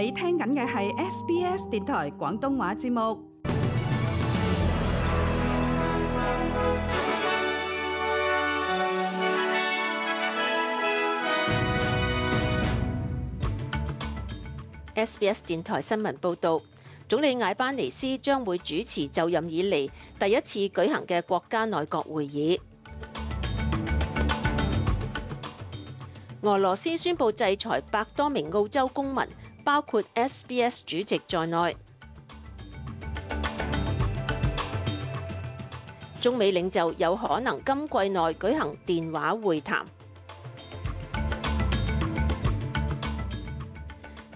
你聽緊嘅係 SBS 電台廣東話節目。SBS 電台新聞報導，總理艾班尼斯將會主持就任以嚟第一次舉行嘅國家內閣會議。俄羅斯宣布制裁100多名澳洲公民，包括 SBS 主席在內。中美領袖有可能今季內舉行電話會談。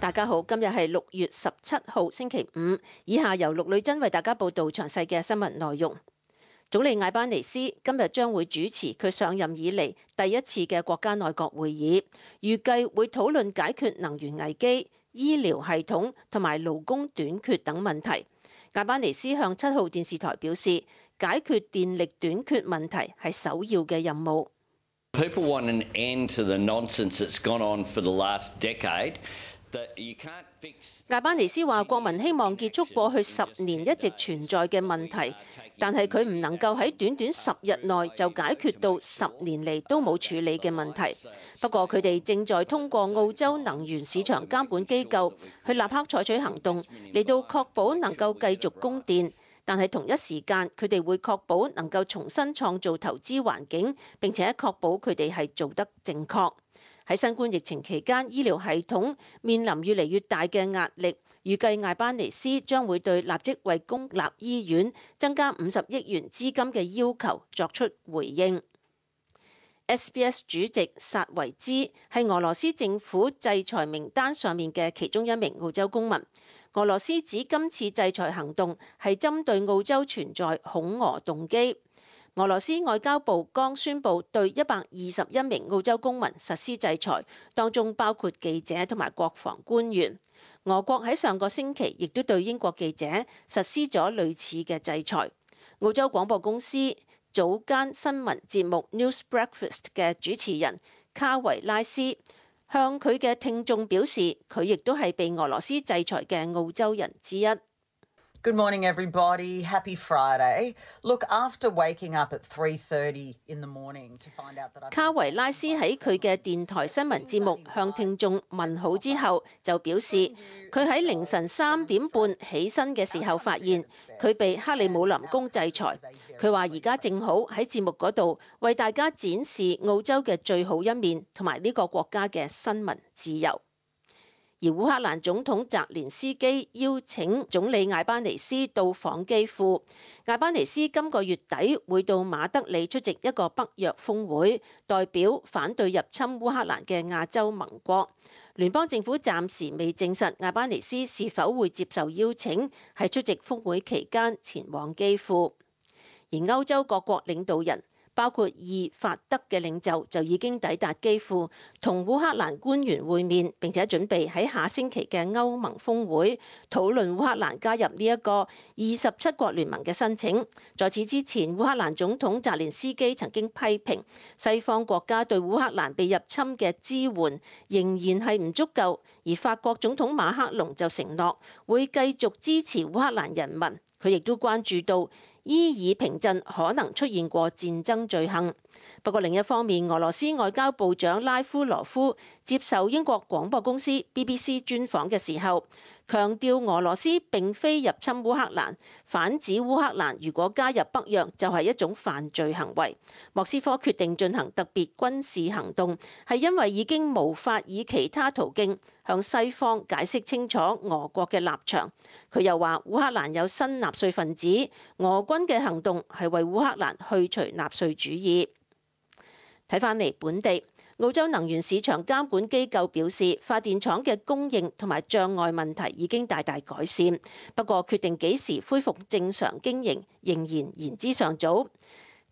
大家好，今日係6月17號星期五，以下由陸女真為大家報道詳細嘅新聞內容。總理艾班尼斯今日將會主持佢上任以嚟第一次嘅國家內閣會議，預計會討論解決能源危機、醫療系統同埋勞工短缺等問題。艾班尼斯向7號電視台表示，解決電力短缺問題係首要嘅任務。People want an end to the nonsense that's gone on for the last decade. 艾班尼斯話：國民希望結束過去10年一直存在嘅問題，但係佢唔能夠喺短短10日內就解決到10年嚟都冇處理嘅問題。不過佢哋正在通過澳洲能源市場監管機構去立刻採取行動，嚟到確保能夠繼續供電。但係同一時間，佢哋會確保能夠重新創造投資環境，並且確保佢哋係做得正確。喺新冠疫情期間，醫療系統面臨越嚟越大嘅壓力，預計艾班尼斯將會對立即為公立醫院增加50億元資金嘅要求作出回應。SBS 主席薩維茲係俄羅斯政府制裁名單上面嘅其中一名澳洲公民。俄羅斯指今次制裁行動係針對澳洲存在恐俄動機。俄羅斯外交部剛宣布對121名澳洲公民實施制裁，當中包括記者同埋國防官員。俄國喺上個星期亦都對英國記者實施咗類似嘅制裁。澳洲廣播公司早間新聞節目 News Breakfast 嘅主持人卡維拉斯向佢嘅聽眾表示，佢亦都係被俄羅斯制裁嘅澳洲人之一。Good morning, everybody. Happy Friday. Look, after waking up at 3:30 in the morning to find out that 卡維拉斯喺佢嘅電台新聞節目向聽眾問好之後，就表示佢喺凌晨3點半起身嘅時候發現佢被克里姆林宮制裁。佢話而家正好喺節目嗰度為大家展示澳洲嘅最好一面同埋呢個國家嘅新聞自由。而烏克蘭總統澤連斯基邀請總理艾班尼斯到訪基輔。艾班尼斯今個月底會到馬德里出席一個北約峰會，代表反對入侵烏克蘭嘅亞洲盟國。聯邦政府暫時未證實艾班尼斯是否會接受邀請，喺出席峰會期間前往基輔。而歐洲各國領導人，包括意法德嘅領袖就已經抵達基輔，同烏克蘭官員會面，並且準備喺下星期嘅歐盟峰會討論烏克蘭加入呢一個27國聯盟嘅申請。在此之前，烏克蘭總統澤連斯基曾經批評西方國家對烏克蘭被入侵嘅支援仍然係唔足夠，而法國總統馬克龍就承諾會繼續支持烏克蘭人民。佢亦都關注到伊爾平鎮可能出現過戰爭罪行。不過另一方面，俄羅斯外交部長拉夫羅夫接受英國廣播公司 BBC 專訪嘅時候，強調俄羅斯並非入侵烏克蘭，反指烏克蘭如果加入北約就係一種犯罪行為。莫斯科決定進行特別軍事行動，係因為已經無法以其他途徑向西方解釋清楚俄國嘅立場。佢又話烏克蘭有新納粹分子，俄軍嘅行動係為烏克蘭去除納粹主義。睇返嚟本地，澳洲能源市場監管機構表示，發電廠嘅供應同埋障礙問題已經大大改善，不過決定幾時恢復正常經營仍然言之尚早。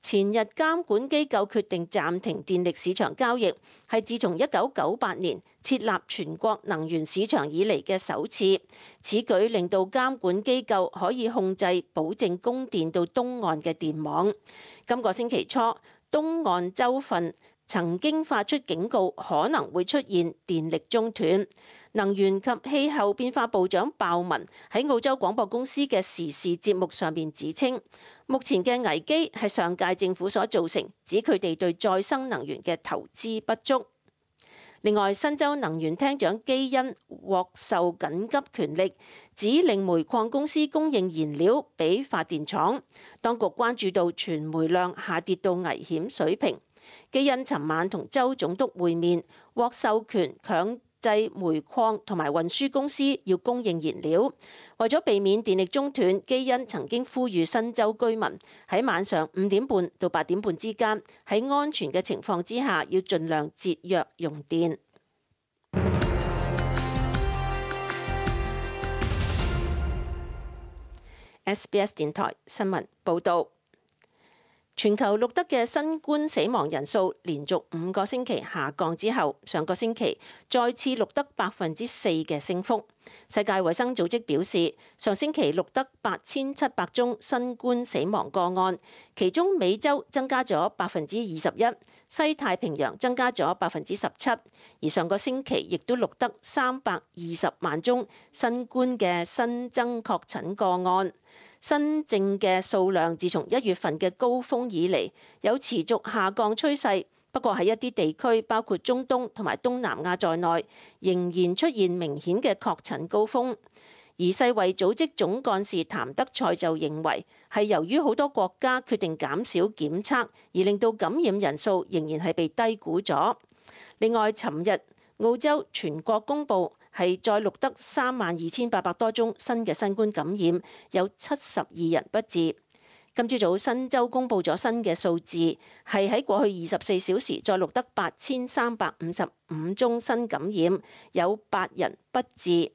前日監管機構決定暫停電力市場交易，係自從1998年設立全國能源市場以嚟嘅首次。此舉令到監管機構可以控制保證供電到東岸嘅電網。今個星期初，東岸州份曾經發出警告，可能會出現電力中斷。能源及氣候變化部長鮑文喺澳洲廣播公司嘅時事節目上面指稱，目前嘅危機係上屆政府所造成，指佢哋對再生能源嘅投資不足。另外，新州能源廳長基恩獲授緊急權力，指令煤礦公司供應燃料俾發電廠。當局關注到存煤量下跌到危險水平。基恩尋晚同州總督會面，獲授權強制煤礦同埋運輸公司要供應燃料。為咗避免電力中斷，基恩曾經呼籲新州居民喺晚上5點半到8點半之間，喺安全嘅情況之下，要盡量節約用電。SBS 電台新聞報導。全球錄得嘅新冠死亡人數連續5個星期下降之後，上個星期再次錄得4%嘅升幅。世界衛生組織表示，上星期錄得8700宗新冠死亡個案，其中美洲增加咗21%，西太平洋增加咗17%，而上個星期亦都錄得320萬宗新冠嘅新增確診個案。新症嘅數量自從1月份嘅高峰以嚟有持續下降趨勢，不過喺一啲地區，包括中東同埋東南亞在內，仍然出現明顯嘅確診高峰。而世衛組織總幹事譚德塞就認為，係由於好多國家決定減少檢測，而令到感染人數仍然係被低估咗。另外，尋日澳洲全國公佈係再錄得32800多宗新嘅新冠感染，有72人不治。今朝早新州公佈咗新嘅數字，係喺過去24小時再錄得8355宗新感染，有8人不治。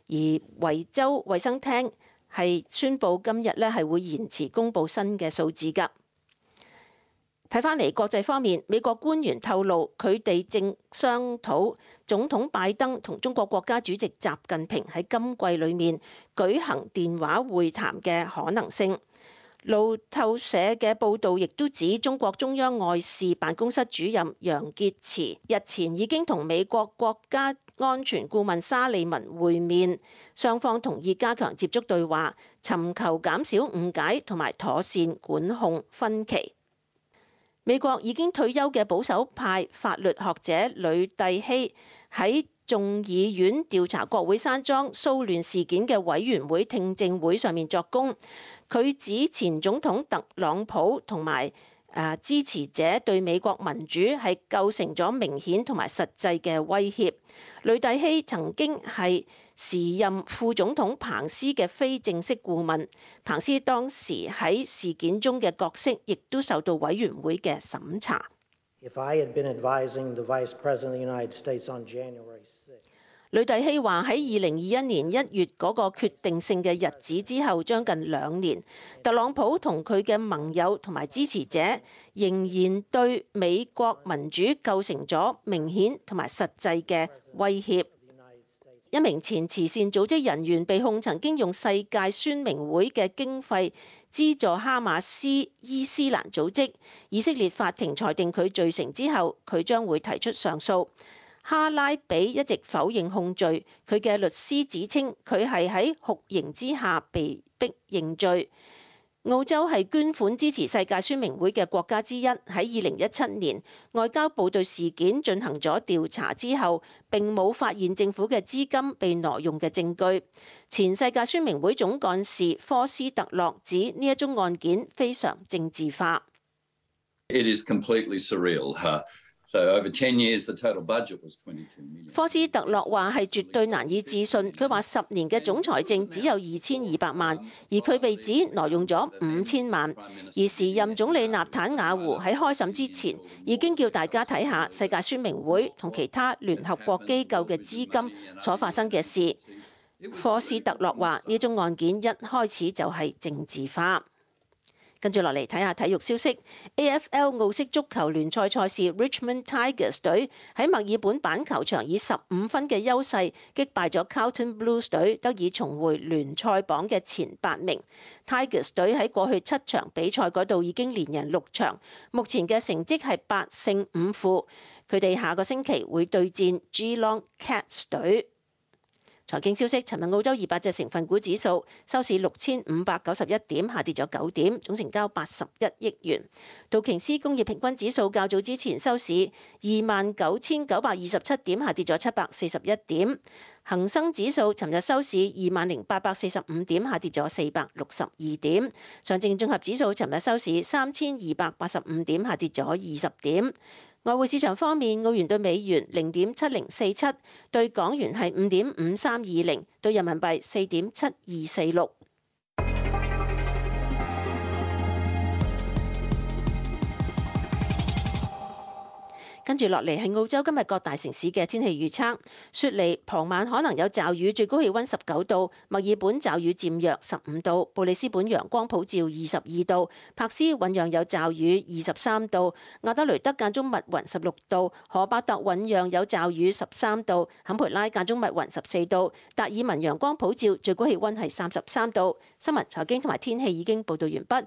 而維州衛生廳係宣布今日咧係會延遲公佈新嘅數字㗎。睇返嚟國際方面，美國官員透露佢哋正商討總統拜登同中國國家主席習近平喺今季裡面舉行電話會談嘅可能性。路透社嘅報導亦都指，中國中央外事辦公室主任楊潔篪日前已經同美國國家安全顧問沙利文會面，雙方同意加強接觸對話，尋求減少誤解同埋妥善管控分歧。美國已經退休嘅保守派法律學者呂蒂希喺眾議院調查國會山莊騷亂事件嘅委員會聽證會上面作供，佢指前總統特朗普同埋支持者對美國民主係構成咗明顯同埋實際嘅威脅。呂蒂希曾經係時任副總統彭斯嘅非正式顧問，彭斯當時喺事件中嘅角色亦都受到委員會嘅審查。呂蒂希話喺2021年1月嗰個決定性嘅日子之後，將近2年，特朗普同佢嘅盟友同埋支持者仍然對美國民主構成咗明顯同埋實際嘅威脅。一名前慈善組織人員被控曾經用世界宣明會嘅經費資助哈馬斯伊斯蘭組織，以色列法庭裁定佢罪成之後，佢將會提出上訴。哈拉比一直否認控罪，佢嘅律師指稱佢係喺酷刑之下被逼認罪。澳洲係捐款支持世界宣明會嘅國家之一，喺2017年外交部對事件進行咗調查之後，並冇發現政府嘅資金被挪用嘅證據。前世界宣明會總幹事科斯特洛指呢一宗案件非常政治化。It is completely surreal. So over 10 years, the total budget was 22 million. 科斯特洛話係絕對難以置信，佢話10年嘅總財政只有2200萬，而佢被指挪用咗5000萬。而時任總理納坦雅胡喺開審之前已經叫大家睇下世界宣明會同其他聯合國機構嘅資金所發生嘅事。科斯特洛話呢宗案件一開始就係政治化。跟住落嚟睇下體育消息 ，AFL 澳式足球聯賽賽事 Richmond Tigers 隊喺墨爾本板球場以15分嘅優勢擊敗咗 Carlton Blues 隊，得以重回聯賽榜嘅前8名。Tigers 隊喺過去7場比賽嗰度已經連贏6場，目前嘅成績係8勝5負。佢哋下個星期會對戰 Geelong Cats 隊。財經消息，尋日澳洲200隻成分股指數收市6591點，下跌咗9點，總成交81億元。道瓊斯工業平均指數較早之前收市29,927點，下跌咗741點。恒生指數尋日收市20,845點，下跌咗462點。上證綜合指數尋日收市3,285點，下跌咗20點。外匯市場方面，澳元對美元0.7047，對港元係5.5320，對人民幣4.7246。跟住落嚟係澳洲今日各大城市嘅天氣預測。雪梨傍晚可能有驟雨，最高氣溫19度；墨爾本驟雨漸弱15度；布里斯本陽光普照22度；珀斯醞釀有驟雨23度；亞德雷德間中密雲16度；荷伯特醞釀有驟雨13度；坎培拉間中密雲14度；達爾文陽光普照，最高氣溫係33度。新聞、財經同埋天氣已經報道完畢。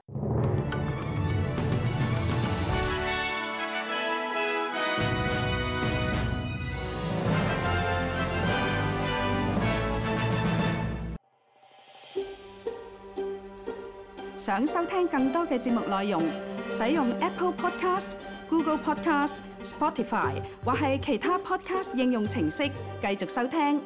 想收聽更多嘅節目內容，使用 Apple Podcast、Google Podcast、Spotify 或係其他 Podcast 應用程式繼續收聽。